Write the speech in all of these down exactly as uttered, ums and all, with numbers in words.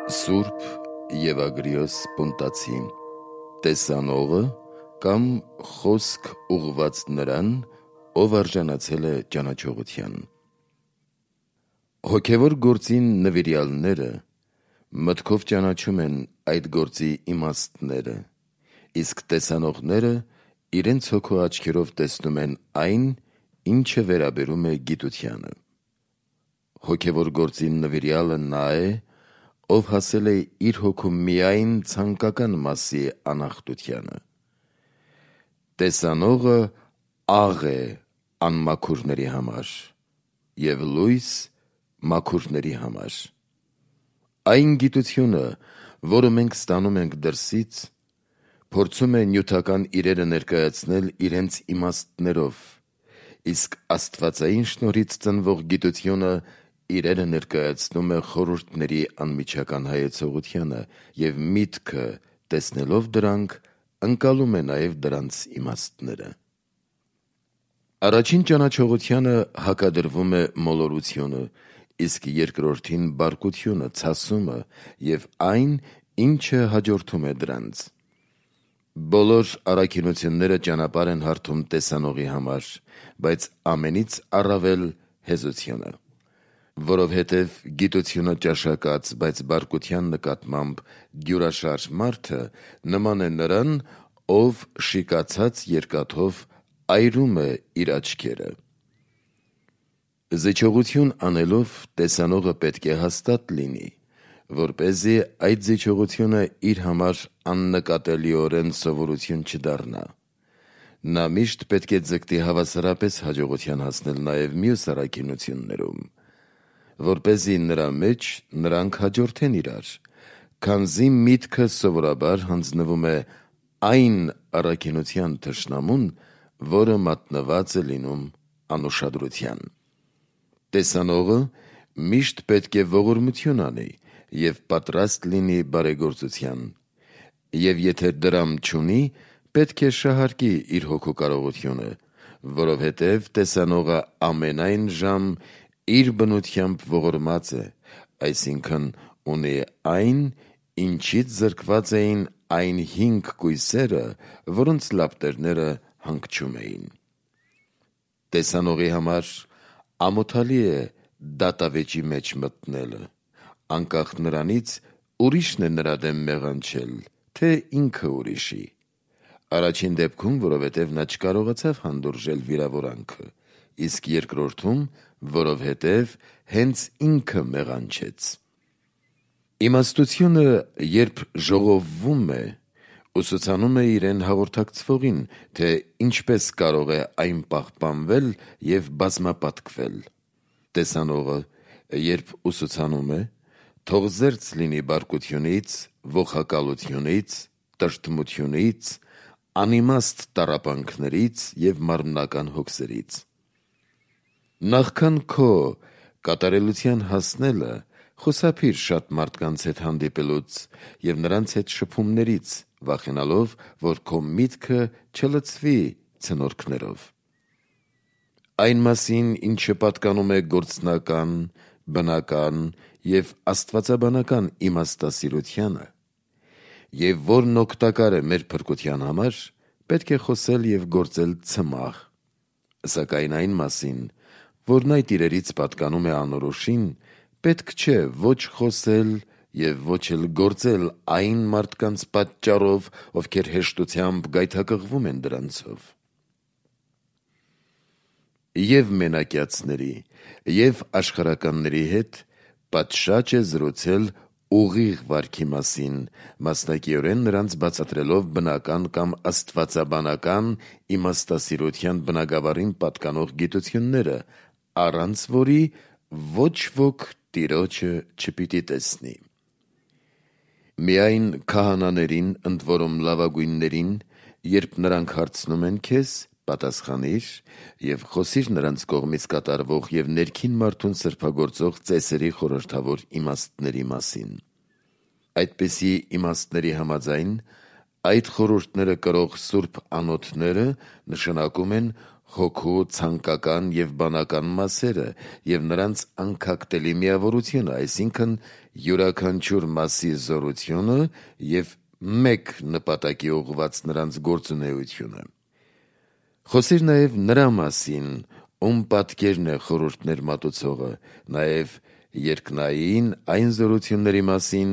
Սուրբ Եվագրիոս Պունտացի տեսանողը կամ խոսք ուղղված նրան, ով արժանացել է ճանաչողության։ Հոգևոր գործի նվիրյալները մտքով ճանաչում են այդ գործի իմաստները, իսկ տեսանողները իրենց հոգու աչքերով տեսնում են այն, ինչը վերաբերում է գիտությանը։ Հոգևոր գործի նվիրյալը նա է, ով հասել է իր հոգում միայն ցանկական մասի անախտությանը։ Տեսանողը աղ է անմաքուրների համար և լույս մաքուրների համար։ Այն գիտությունը, որը մենք ստանում ենք դրսից, փորձում է նյութական իրերը ներկայացնել իրենց իմաստներով, իսկ աստվածային շնորհից ծնվող գիտությունը իրերը ներկայացնում է խորհուրդների անմիջական հայեցողությանը, և միտքը տեսնելով դրանք, ընկալում է նաև դրանց իմաստները։ Առաջին ճանաչողությանը հակադրվում է մոլորությունը, իսկ երկրորդին բարկությունը, ցասումը և այն, ինչը հաջորդում է դրանց։ Բոլոր առաքինությունները ճանապարհ են հարթում տեսանողի համար, բայց ամենից առավել հեզությունը, որովհետև գիտությունը ճաշակած, բայց բարկության նկատմամբ դյուրաշարժ մարդը նման է նրան, ով շիկացած երկաթով այրում է իր աչքերը։ Զիջողություն անելով տեսանողը պետք է հաստատ լինի, որպեսզի այդ զիջողությունը իր համար աննկատելիորեն սովորություն չդառնա։ Նա միշտ պետք է ձգտի հավասարապես հաջողության հասնել նաև մյուս առաքինություններում, որպեսզի նրա մեջ նրանք հաջորդեն իրար, քանզի միտքը սովորաբար հանձնվում է այն առաքինության թշնամուն, որը մատնված է լինում անուշադրության։ Տեսանողը միշտ պետք է ողորմություն անի և պատրաստ լինի բարեգործության, և եթե դրամ չունի, պետք է շահարկի իր հոգու կարողությունը, որովհետև տեսանողը ամենայն ժամ իր բնությամբ ողորմած է, այսինքն ունի այն, ինչից զրկված էին այն հինգ կույսերը, որոնց լապտերները հանգչում էին։ Տեսանողի համար ամոթալի է դատավեճի մեջ մտնելը, անկախ նրանից ուրիշն է նրա դեմ մեղանչել, թե ինքը ուրիշի։ Առաջին դեպքում, որովհետև նա չկարողացավ հանդուրժել վիրավորանքը, իսկ երկրորդում, որովհետև հենց ինքը մեղանչեց։ Իմաստությունը, երբ ժողովվում է, ուսուցանում է իրեն հաղորդակցվողին, թե ինչպես կարող է այն պահպանվել և բազմապատկվել։ Տեսանողը, երբ ուսուցանում է, թող զերծ լինի բարկությունից, ոխակալությունից, տրտմությունից, անիմաստ տառապանքներից և մարմնական հոգսերից։ Նախքան քո կատարելության հասնելը, խուսափիր շատ մարդկանց հետ հանդիպելուց և նրանց հետ շփումներից, վախենալով, որ քո միտքը չլցվի ցնորքներով։ Այն մասին, ինչը պատկանում է գործնական, բնական և աստվածաբանական իմաստասիրությանը, և որն օգտակար է մեր փրկության համար, պետք է խոսել և գործել ցմահ, սակայն այն մասին, որն այդ իրերից պատկանում է անորոշին, պետք չէ ոչ խոսել և ոչ էլ գործել այն մարդկանց պատճառով, ովքեր հեշտությամբ գայթակղվում են դրանցով։ Եվ մենակյացների, և աշխարհականների հետ պատշաճ է զրուցել ուղիղ վարքի մասին, մասնակիորեն նրանց բացատրելով բնական կամ աստվածաբանական իմաստասիրության բնագավառին պատկանող գիտությունները, առանց որի ոչ ոք Տիրոջը չպիտի տեսնի։ Միայն քահանաներին, ընդ որում լավագույններին, երբ նրանք հարցնում են քեզ, պատասխանիր և խոսիր նրանց կողմից կատարվող և ներքին մարդուն սրբագործող ծեսերի խորհրդավոր իմաստների մասին։ Այդպիսի իմաստների համաձայն, այդ խորհուրդները կրող սուրբ անոթները նշանակում են հոգու ցանկական եւ բանական մասերը եւ նրանց անկախտելի միավորությունը, այսինքն յուրաքանչյուր մասի զորությունը եւ մեկ նպատակի ուղղված նրանց գործունեությունը։ Խոսիր նաեւ նրա մասին, ում պատկերն է խորհուրդներ մատուցողը, նաեւ երկնային այն զորությունների մասին,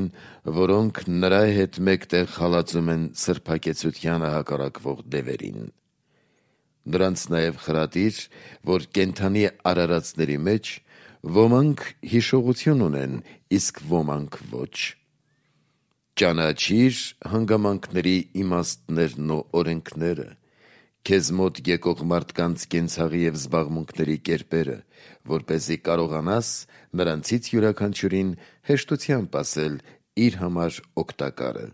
որոնք նրա հետ մեկտեղ հալածում են սրբակեցությանը հակառակվող դևերին։ Նրանց նաև խրատիր, որ կենդանի արարածների մեջ ոմանք հիշողություն ունեն, իսկ ոմանք ոչ։ Ճանաչիր հանգամանքների իմաստներն ու օրենքները, քեզ մոտ եկող մարդկանց կենցաղի և զբաղմունքների կերպերը, որպեսզի կարողանաս նրանցից յուրաքանչյուրին հեշտությամբ ասել իր համար օգտակարը։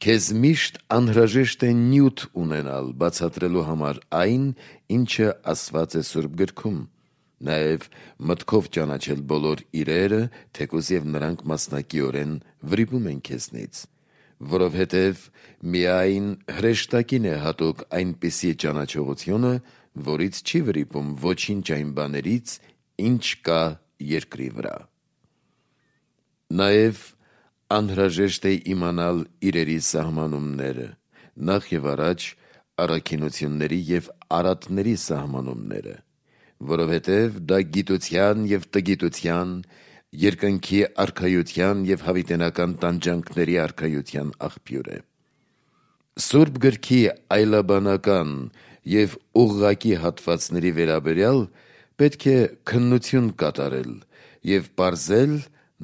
Քեզ միշտ անհրաժեշտ է նյութ ունենալ բացատրելու համար այն, ինչը ասված է Սուրբ գրքում, նաև մտքով ճանաչել բոլոր իրերը, թեկուզ և նրանք մասնակիորեն վրիպում են քեզնից, որովհետև միայն հրեշտակին է հատուկ այնպիսի ճանաչողությունը, որից չի վրիպում ոչինչ այն բաներից, ինչ կա երկրի վրա։ Նաև անհրաժեշտ է իմանալ իրերի սահմանումները, նախ և առաջ առաքինությունների և արատների սահմանումները, որովհետև դա գիտության և տգիտության, երկնքի արքայության և հավիտենական տանջանքների արքայության աղբյուր է։ Սուրբ գրքի այլաբանական և ուղղակի հատվածների վերաբերյալ պետք է քննություն կատարել և պարզել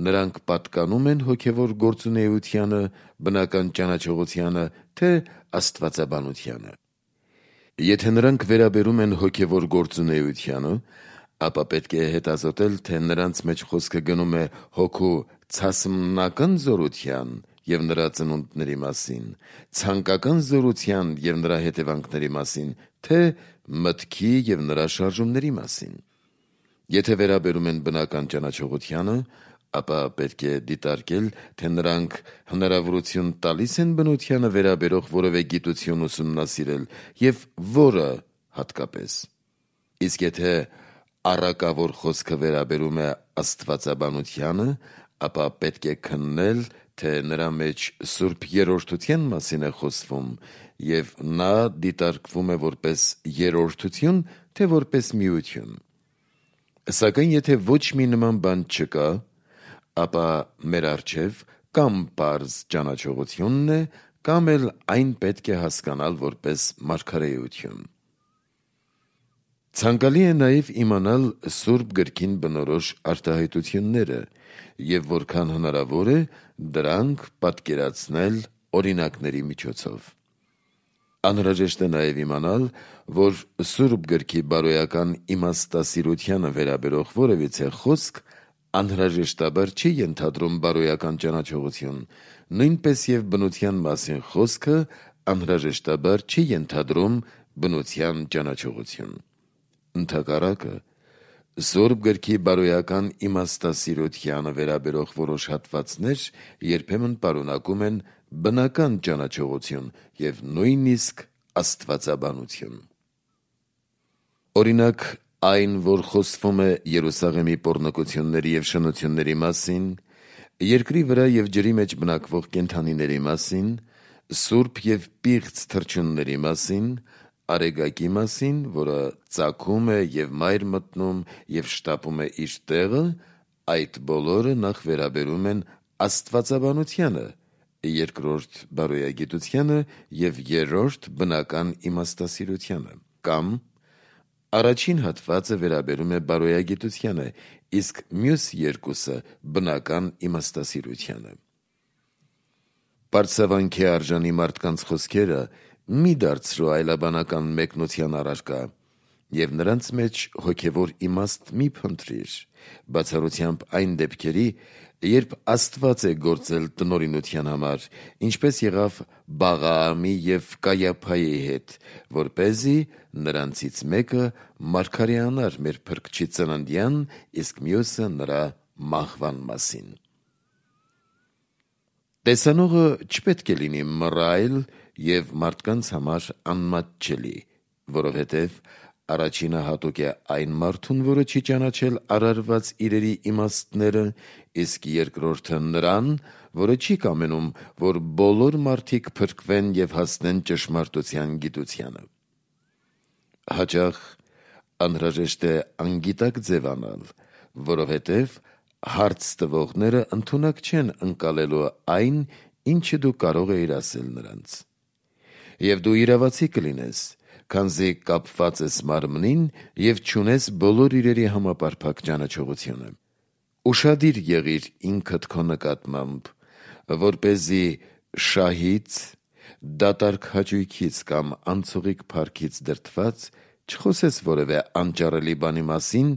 նրանք պատկանում են հոգևոր գործունեությանը, բնական ճանաչողությանը, թե աստվածաբանությանը։ Եթե նրանք վերաբերում են հոգևոր գործունեությանը, ապա պետք է հետազոտել, թե նրանց մեջ խոսքը գնում է հոգու ցասմնական զորության և նրա ծնունդների մասին, ցանկական զորության և նրա հետևանքների մասին, թե մտքի և նրա շարժումների մասին։ Եթե վերաբերում են բնական ճանաչողությանը, ապա պետք է դիտարկել, թե նրանք հնարավորություն տալիս են բնությանը վերաբերող որևէ գիտություն ուսումնասիրել և որը հատկապես։ Իսկ եթե առակավոր խոսքը վերաբերում է աստվածաբանությանը, ապա պետք է քննել, թե նրա մեջ սուրբ երրորդության մասին է խոսվում և նա դիտարկվում է որպես երրորդություն, թե որպես միություն։ Սակայն եթե ոչ մի նման բան չկա, ապա մեր առջև կամ պարզ ճանաչողությունն է, կամ էլ այն պետք է հասկանալ որպես մարգարեություն։ Ցանկալի է նաև իմանալ Սուրբ գրքին բնորոշ արտահայտությունները և որքան հնարավոր է դրանք պատկերացնել օրինակների միջոցով։ Անհրաժեշտ է նաև իմանալ, որ Սուրբ գրքի բարոյական իմաստասիրությանը վերաբերող որևիցե խոսք անհրաժեշտաբար չի ենթադրում բարոյական ճանաչողություն, նույնպես և բնության մասին խոսքը անհրաժեշտաբար չի ենթադրում բնության ճանաչողություն։ Ընդհակառակը, Սուրբ գրքի բարոյական իմաստասիրությանը վերաբերող որոշ հատվածներ երբեմն պարունակում են բնական ճանաչողություն և նույնիսկ աստվածաբանություն։ Օրինակ, այն, որ խոսվում է Երուսաղեմի պոռնկությունների և շնությունների մասին, երկրի վրա և ջրի մեջ բնակվող կենդանիների մասին, սուրբ և պիղծ թռչունների մասին, արեգակի մասին, որը ծագում է և մայր մտնում և շտապում է իր տեղը, այդ բոլորը նախ վերաբերում են աստվածաբանությանը, երկրորդ բարոյագիտությանը և երրորդ բնական իմաստասիրությանը, կամ առաջին հատվածը վերաբերում է բարոյագիտությանը, իսկ մյուս երկուսը բնական իմաստասիրությանը։ Պարծավանքի արժանի մարդկանց խոսքերը մի դարձրու այլաբանական մեկնության առարկա և նրանց մեջ հոգևոր իմաստ մի փնտրիր, բացառությամբ այն դեպքերի, երբ Աստված է գործել տնօրինության համար, ինչպես եղավ Բաղաամի և Կայափայի հետ, որպեսզի նրանցից մեկը մարգարեանար մեր Փրկչի ծննդյան, իսկ մյուսը նրա մահվան մասին։ Տեսանողը չպետք է լինի մռայլ և մարդկանց համար անմատչելի, որովհետև առաջինը հատուկ է այն մարդուն, որը չի ճանաչել արարված իրերի իմաստները, իսկ երկրորդը նրան, որը չի կամենում, որ բոլոր մարդիկ փրկվեն և հասնեն ճշմարտության գիտությանը։ Հաճախ անհրաժեշտ է անգիտակ ձևանալ, որովհետև հարց տվողները ընդունակ չեն ընկալելու այն, ինչը դու կարող էիր ասել նրանց։ Եվ դու իրավացի կլինես, քանզի կապված ես մարմնին և չունես բոլոր իրերի համապարփակ ճանաչողությունը։ Ուշադիր եղիր ինքդ քո նկատմամբ, որպեսզի շահից, դատարկ հաճույքից կամ անցողիկ փառքից դրդված չխոսես որևէ անճարելի բանի մասին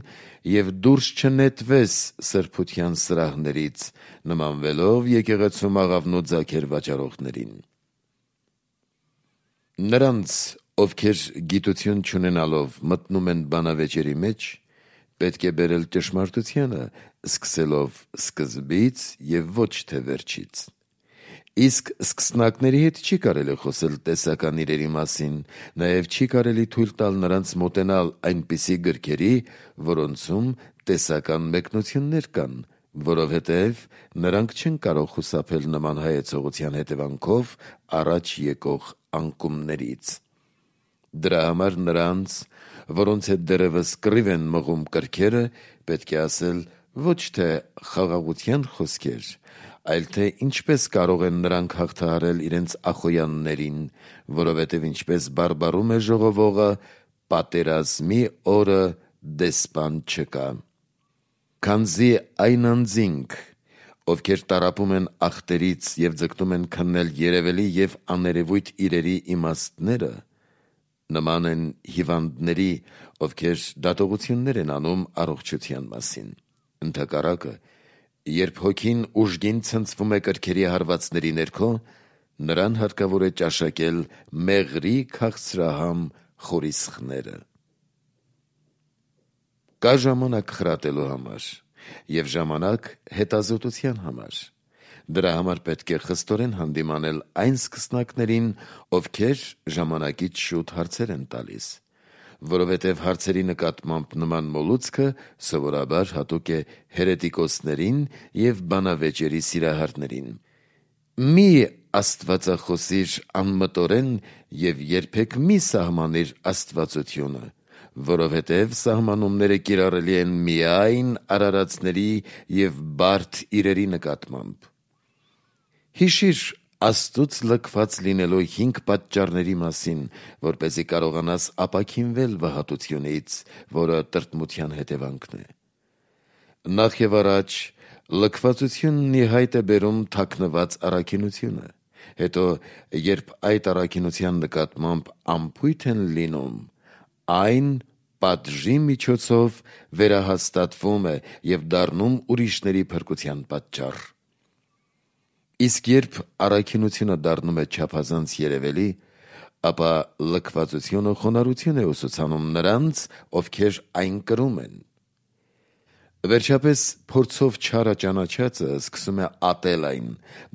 և դուրս չնետվես սրբության սրահներից, նմանվելով եկեղեցում աղավնու ձագեր վաճառողներին։ Նրանց, ովքեր գիտություն չունենալով մտնում են բանավեճերի մեջ, պետք է բերել ճշմարտությանը, սկսելով սկզբից և ոչ թե վերջից։ Իսկ սկսնակների հետ չի կարելի խոսել տեսական իրերի մասին, նաև չի կարելի թույլ տալ նրանց մոտենալ այնպիսի գրքերի, որոնցում տեսական մեկնություններ կան, որովհետև նրանք չեն կարող խուսափել նման հայեցողության հետևանքով առաջ եկող անկումներից։ Դրա համար նրանց, որոնց հետ դեռևս կռիվ են մղում կրքերը, պետք է ասել ոչ թե խաղաղության խոսքեր, այլ թե ինչպես կարող են նրանք հաղթահարել իրենց ախոյաններին, որովհետև ինչպես բարբառում է ժողովողը, պատերազմի օրը դեսպան չկա։ Քանզի այն անձինք, ովքեր տառապում են ախտերից և ձգտում են քննել երևելի և աներևույթ իրերի իմաստները, նման են հիվանդների, ովքեր դատողություններ են անում առողջության մասին։ Ընդհակառակը, երբ հոգին ուժգին ցնցվում է կրքերի հարվածների ներքո, նրան հարկավոր է ճաշակել մեղրի քաղցրահամ խորիսխները։ Կա ժամանակ խրատելու համար և ժամանակ հետազոտության համար։ Դրա համար պետք է խստորեն հանդիմանել այն սկսնակներին, ովքեր ժամանակից շուտ հարցեր են տալիս, որովհետև հարցերի նկատմամբ նման մոլուցքը սովորաբար հատուկ է հերետիկոսներին և բանավեճերի սիրահարներին։ Մի աստվածախոսիր անմտորեն և երբեք մի սահմանիր աստվածությունը, որովհետև սահմանումները կիրառելի են միայն արարածների և բարդ իրերի նկատմամբ։ Հիշիր Աստծուց լքված լինելու հինգ պատճառների մասին, որպեսզի կարողանաս ապաքինվել վհատությունից, որը տրտմության հետևանքն է։ Նախ և առաջ լքվածությունն ի հայտ է բերում թաքնված առաքինությունը, հետո երբ այդ առաքինության նկատմամբ անփույթ են լինում, այն պատժի միջոցով վերահաստատվում է և դառնում ուրիշների փրկության պատճառ։ Իսկ երբ առաքինությունը դառնում է չափազանց երևելի, ապա լքվածությունը խոնարհություն է ուսուցանում նրանց, ովքեր այն կրում են։ Վերջապես փորձով չարը ճանաչածը սկսում է ատել այն,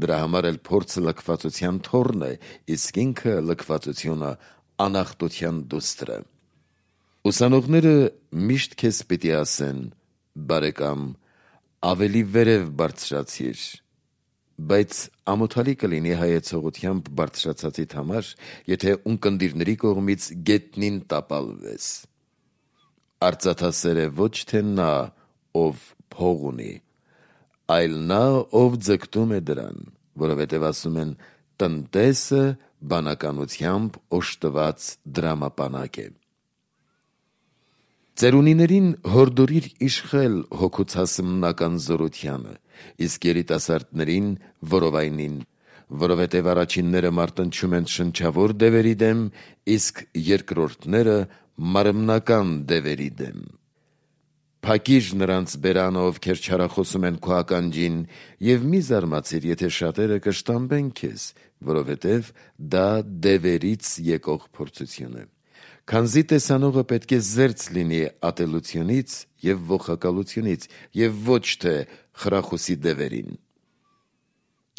դրա համար էլ փորձը լքվածության թոռն է, իսկ ինքը լքվածությունը անախտության դուստրը։ Ուսանողները միշտ քեզ պիտի ասեն. «Բարեկամ, ավելի վերև բարձրացիր», բայց ամոթալի կլինի հայեցողությամբ բարձրացածիդ համար, եթե ունկնդիրների կողմից գետնին տապալվես։ Արծաթասեր է ոչ թե նա, ով փող ունի, այլ նա, ով ձգտում է դրան, որովհետև ասում են. «Տնտեսը բանականությամբ օժտված դրամապանակ է»։ Ծերունիներին հորդորիր իշխել հոգուց հասմնական զորությանը, իսկ երիտասարդներին որովայնին, որովհետև առաջինները մարտնչում են շնչավոր դևերի դեմ, իսկ երկրորդները մարմնական դևերի դեմ։ Փակիր նրանց բերանը, ովքեր չարախոսում են քո ականջին, և մի զարմացիր, եթե շատերը կշտամբեն քեզ, որովհետև դա դևերից եկող փորձություն է։ Քանզի տեսանողը պետք է զերծ լինի ատելությունից և ողակալությունից և ոչ թե խրախուսի դևերին։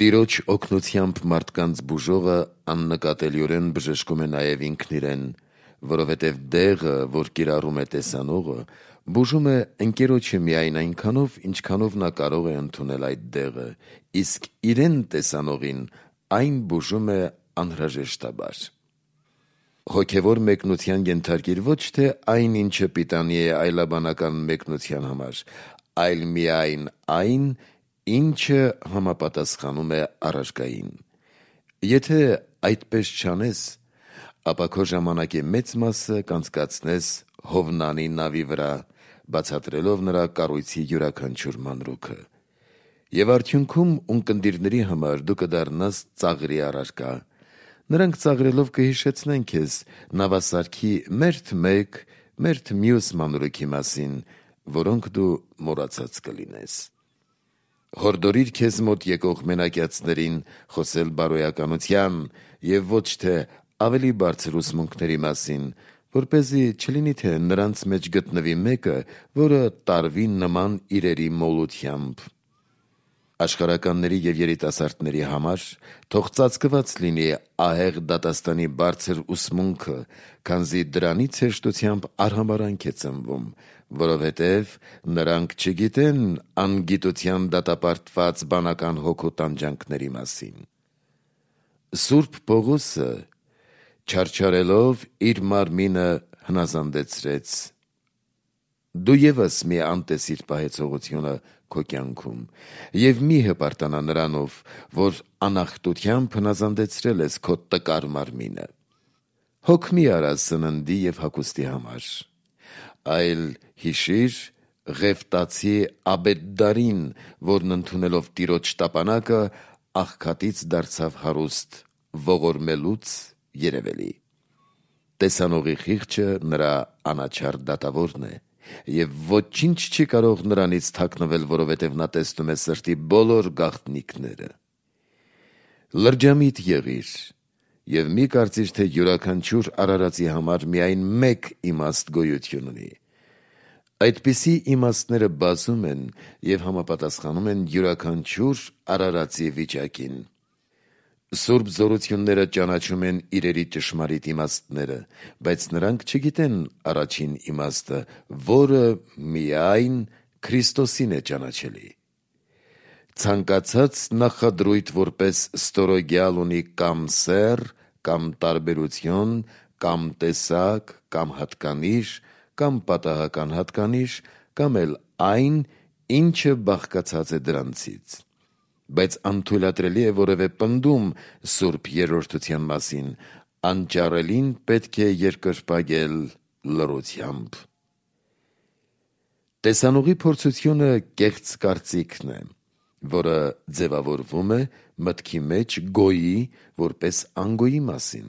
Տիրոջ օգնությամբ մարդկանց բուժողը աննկատելիորեն բժշկում է նաև ինքն իրեն, որովհետև դեղը, որ կիրառում է տեսանողը, բուժում է ընկերոջը միայն այնքանով, ինչքանով նա կարող է ընդունել այդ դեղը, իսկ իրեն տեսանողին այն բուժում է անհրաժեշտաբար։ Հոգևոր մեկնության ենթարկիր ոչ թե այն, ինչը պիտանի է այլաբանական մեկնության համար, այլ միայն այն, ինչը համապատասխանում է առարկային։ Եթե այդպես չանես, ապա քո ժամանակի մեծ մասը կանցկացնես Հովնանի նավի վրա, բացատրելով նրա կառույցի յուրաքանչյուր մանրուքը։ Եվ արդյունքում ունկնդիրների համար դու կդառնաս ծաղրի առարկա։ Նրանք ծաղրելով կհիշեցնեն քեզ նավասարքի մերթ մեկ, մերթ մյուս մանրուքի մասին, որոնք դու մոռացած կլինես։ Հորդորիր քեզ մոտ եկող մենակյացներին խոսել բարոյականության և ոչ թե ավելի բարձր ուսմունքների մասին, որպեսզի չլինի, թե նրանց մեջ գտնվի մեկը, որը տարվի նման իրերի մոլությամբ։ Աշխարհականների և երիտասարդների համար թող ծածկված լինի ահեղ դատաստանի բարձր ուսմունքը, քանզի դրանից հեշտությամբ արհամարհանք է ծնվում, որովհետև նրանք չգիտեն անգիտության դատապարտված բանական հոգու տանջանքների մասին։ Սուրբ Պողոսը չարչարելով իր մարմինը հնազանդեցրեց։ Դու ևս մի անտեսիր պահեցողությունը քո կյանքում և մի հպարտանա նրանով, որ անախտությամբ հնազանդեցրել ես քո տկար մարմինը։ Հոգ մի արա սննդի և հագուստի համար, այլ հիշիր Ղևտացի Աբեդդարին, որն ընդունելով Տիրոջ տապանակը աղքատից դարձավ հարուստ, ողորմելուց երևելի։ Տեսանողի խիղճը նրա անաչառ դատավորն է, և ոչինչ չի կարող նրանից թաքնվել, որովհետև նա տեսնում է սրտի բոլոր գաղտնիքները։ Լրջամիտ եղիր և մի կարծիր, թե յուրաքանչյուր արարածի համար միայն մեկ իմաստ գոյություն ունի։ Այդպիսի իմաստները բազում են և համապատասխանում են յուրաքանչյուր արարածի վիճակին։ Սուրբ զորությունները ճանաչում են իրերի ճշմարիտ իմաստները, բայց նրանք չգիտեն առաջին իմաստը, որը միայն Քրիստոսին է ճանաչելի։ Ցանկացած նախադրույթ որպես ստորոգյալ ունի կամ սեռ, կամ տարբերություն, կամ տեսակ, կամ հատկանիշ, կամ պատահական հատկանիշ, կամ էլ այն, ինչը բաղկացած է դրանցից։ Բայց անթույլատրելի է որևէ պնդում Սուրբ Երրորդության մասին, անճարելին պետք է երկրպագել լռությամբ։ Տեսանողի փորձությունը կեղծ կարծիքն է, որը ձևավորվում է մտքի մեջ գոյի որպես անգոյի մասին,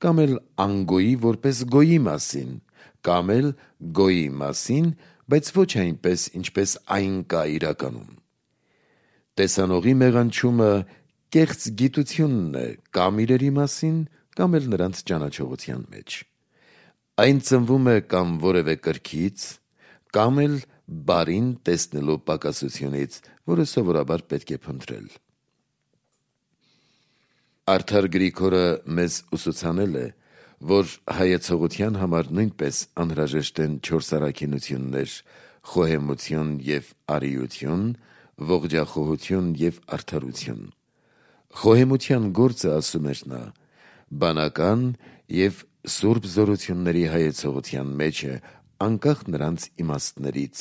կամ էլ անգոյի որպես գոյի մասին, կամ էլ գոյի մասին, բայց ոչ այնպես, ինչպես այն կա իրականում։ Տեսանողի մեղանչումը կեղծ գիտությունն է կամ իրերի մասին, կամ էլ նրանց ճանաչողության մեջ։ Այն ծնվում է կամ որևէ կրքից, կամ էլ բարին տեսնելու պակասությունից, որը սովորաբար պետք է փնտրել։ Արդար Գրիգորը մեզ ուսուցանել է, որ հայեցողության համար նույնպես անհրաժեշտ են չորս առաքինություններ՝ խոհեմություն և արիություն, ողջախոհություն և արդարություն։ Խոհեմության գործը, ասում էր նա, բանական և սուրբ զորությունների հայեցողության մեջ է, անկախ նրանց իմաստներից,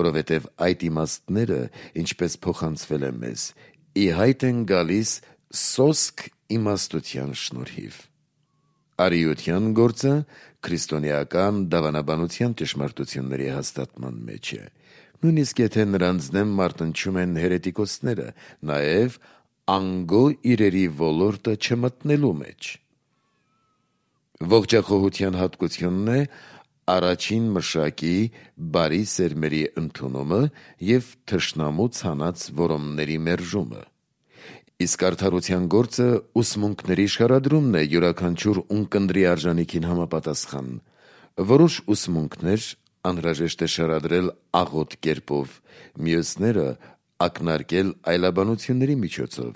որովհետև այդ իմաստները, ինչպես փոխանցվել է մեզ, ի հայտ են գալիս սոսկ իմաստության շնորհիվ։ Արիության գործը քրիստոնեական դավանաբանության ճշմարտությունների հաստատման մեջ է, նույնիսկ եթե նրանց դեմ մարտնչում են հերետիկոսները, նաև անգո իրերի ոլորտը չմտնելու մեջ։ Ողջախոհության հատկությունն է առաջին մշակի բարի սերմերի ընդունումը և թշնամու ցանած որոմների մերժումը։ Իսկ արդարության գործը ուսմունքների շարադրումն է յուրաքանչյուր ունկնդրի արժանիքին համապատասխան։ Որոշ ուսմունքներ անհրաժեշտ է շարադրել աղոտ կերպով, մյուսները ակնարկել այլաբանությունների միջոցով,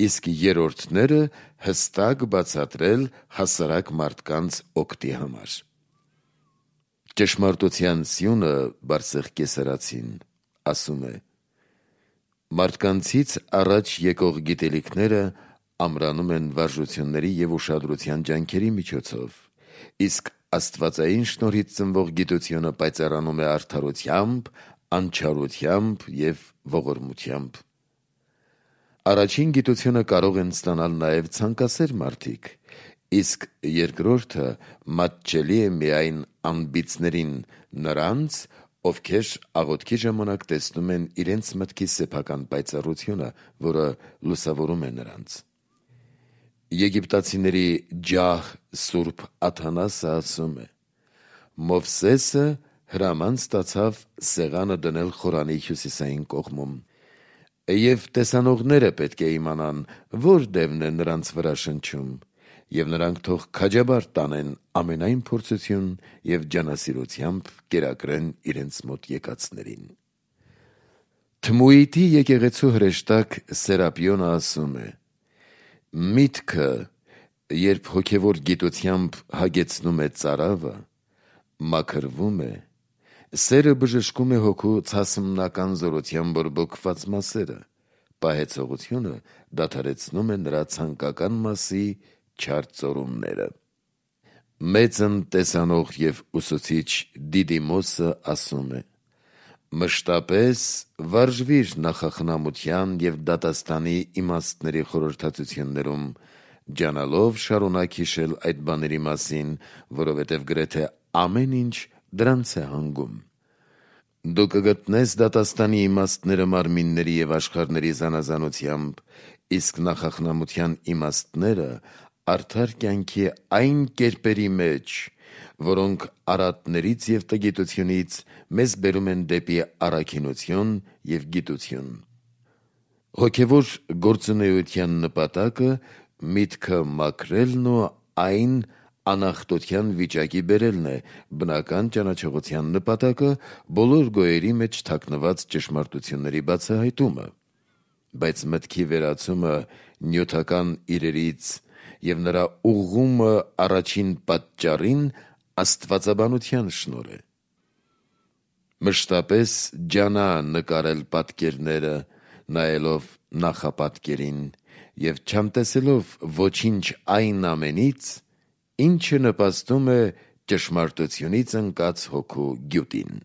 իսկ երրորդները հստակ բացատրել հասարակ մարդկանց օգտի համար։ Ճշմարտության սյունը Բարսեղ կեսարացին ասում է. մարդկանցից առաջ եկող գիտելիքները ամրանում են վարժությունների և ուշադրության ջանքերի միջոցով, իսկ աստվածային շնորհից ծնվող գիտությունը պայծառանում է արդարությամբ, անչարությամբ և ողորմությամբ։ Առաջին գիտությունը կարող են ստանալ նաև ցանկասեր մարդիկ, իսկ երկրորդը մատչելի է միայն անբիծներին, նրանց, ովքեր աղոթքի ժամանակ տեսնում են իրենց մտքի սեփական պայծառությունը, որը լուսավորում է նրանց։ Եգիպտացիների ջահ սուրբ Աթանասը ասում է. Մովսեսը հրաման ստացավ սեղանը դնել Խորանի հյուսիսային կողմում, և տեսանողները պետք է իմանան, որ դևն է նրանց վրա շնչում, և նրանք թող քաջաբար տանեն ամենայն փորձություն և ջանասիրությամբ կերակրեն իրենց մոտ եկածներին։ Թմուհիտի եկեղեցու հրեշտակ Սերապիոնը ասում է. միտքը, երբ հոգևոր գիտությամբ հագեցնում է ծարավը, մաքրվում է, սերը բժշկում է հոգու ցասմնական զորությամբ բորբոքված մասերը, պահեցողությունը դադարեցնում է նրա ցանկական մասի չար ծորումները։ Մեծն տեսանող և ուսուցիչ Դիդիմոսը ասում է. մշտապես վարժվիր նախախնամության և դատաստանի իմաստների խորհրդածություններում, ջանալով շարունակ հիշել այդ բաների մասին, որովհետև գրեթե ամեն ինչ դրանց է հանգում։ Դու կգտնես դատաստանի իմաստները մարմինների և աշխարհների զանազանությամբ, իսկ նախախնամության իմաստները արդար կյանքի այն կերպերի մեջ, որոնք արատներից և տգիտությունից մեզ բերում են դեպի առաքինություն և գիտություն։ Հոգևոր գործունեության նպատակը միտքը մաքրելն ու այն անախտության վիճակի բերելն է, բնական ճանաչողության նպատակը բոլոր գոյերի մեջ թաքնված ճշմարտությունների բացահայտումը, բայց մտքի վերացումը նյութական իրերից և նրա ուղղումը առաջին պատճառին աստվածաբանության շնորհ է։ Մշտապես ջանա նկարել պատկերները, նայելով նախապատկերին և չանտեսելով ոչինչ այն ամենից, ինչը նպաստում է ճշմարտությունից ընկած հոգու գյուտին։